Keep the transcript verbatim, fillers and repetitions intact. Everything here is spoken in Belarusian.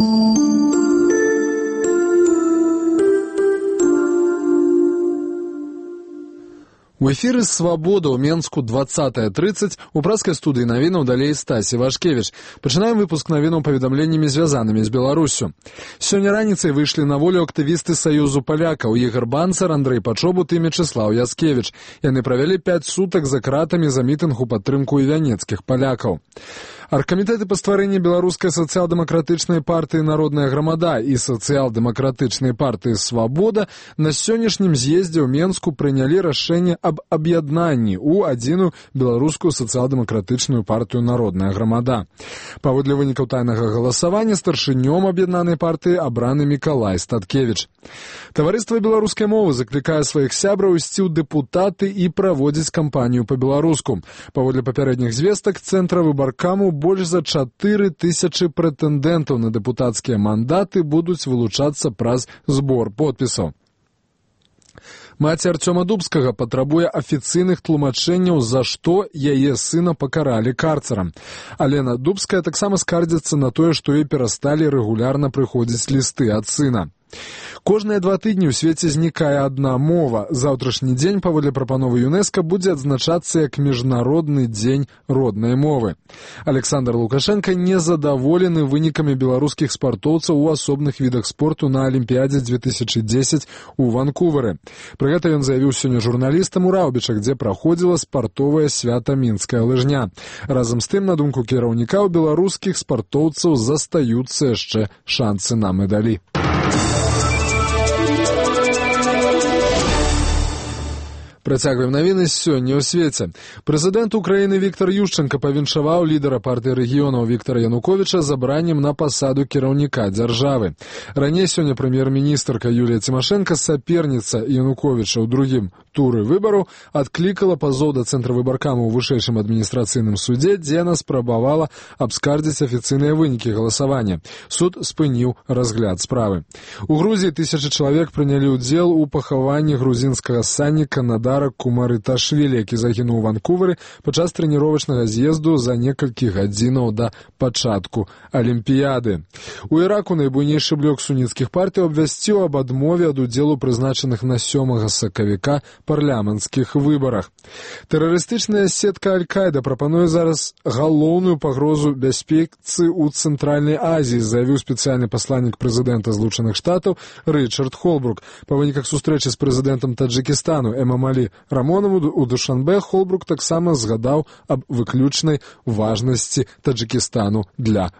У эфіры «Свабода» ў Менску двадцатая трыццаць у праскай студыі навінаў далей Стасі Вашкевіч. Пачынаем выпуск навінаў паведамленнямі, звязанымі з Беларуссю. Сёння раніцай выйшлі на волю актывісты Саюзу палякаў Ігар Банцар, Андрэй Пачобут і Мечыслаў Яскевіч. Яны правялі пяць сутак за кратамі за мітынг у падтрымку івянецкіх палякаў. Аргкамітэты па стварэнні беларускай сацыял-дэмакратычнай партыі «Народная грамада» і сацыял-дэмакратычнай партыі «Свабода» на сённяшнім з'ездзе ў Менску прынялі рашэнне аб аб'яднанні ў адзіную беларускую сацыял-дэмакратычную партыю «Народная грамада». Паводле вынікаў тайнага галасавання старшынём аб'яднанай партыі абраны Мікалай Статкевіч. Таварыства беларускай мовы заклікае сваіх сябраў ісці ў дэпутаты і праводзіць кампанію па-беларуску. Паводле папярэдніх звестак цэнтра выбаркаму больш за чатыры тысячы прэтэндэнтаў на дэпутацкія мандаты будуць вылучацца праз збор подпісаў. Маці Арцёма Дубскага патрабуе афіцыйных тлумачэнняў, за што яе сына пакаралі карцарам. Алена Дубская таксама скардзіцца на тое, што ёй перасталі рэгулярна прыходзіць лісты ад сына. Кожныя два тыдні ў свеце знікае адна мова. Заўтрашні дзень, паводле прапановы ЮНЕСКО, будзе адзначацца як Міжнародны дзень роднай мовы. Александр Лукашенко незадаволены вынікамі беларускіх спартоўцаў у асобных відах спорту на Алімпіядзе две тысячы дзесяць у Ванкувары. Пры гэта ён заявіў сёння журналістам у Раўбічах, дзе праходзіла спартовае свята мінская лыжня. Разам з тым, на думку кіраўніка, у беларускіх спартоўцаў застаюцца яшчэ шансы на медалі. Працягваем навіны сёння ў свеце. Прэзідэнт Украіны Віктар Ющэнка павіншаваў лідара партыі рэгіёнаў Віктара Януковіча забраннем на пасаду кіраўніка дзяржавы. Раней сёння прэм'ер-міністрка Юлія Цімашэнка, саперніца Януковіча ў другім туры выбараў, адклікала пазоў да цэнтра выбаркаму ў вышэйшым адміністрацыйным судзе, дзе яна спрабавала абскардзіць афіцыйныя вынікі галасавання. Суд спыніў разгляд справы. У Грузіі тысячы чалавек прынялі ўдзел у пахаванні грузінскага санніка Надара Кумарыташвілі, які загінуў у Ванкувары падчас трэніровачнага з'езду за некалькі гадзінаў да пачатку Алімпіяды. У Іраку найбуйнейшы блок суніцкіх партый абвясціў аб адмове ад удзелу прызначаных на сёмага сакавіка парламенцкіх выбарах. Тэрарыстычная сетка Аль-Каіда прапануе зараз галоўную пагрозу бяспецы ў Цэнтральнай Азіі, заявіў спецыяльны пасланнік прэзідэнта Злучаных Штатаў Рычард Холбрук. Па выніках сустрэчы з прэзідэнтам Таджыкістану Эмамалі Рамонаву у Душанбе Холбрук таксама згадаў аб выключнай важнасці Таджыкістану для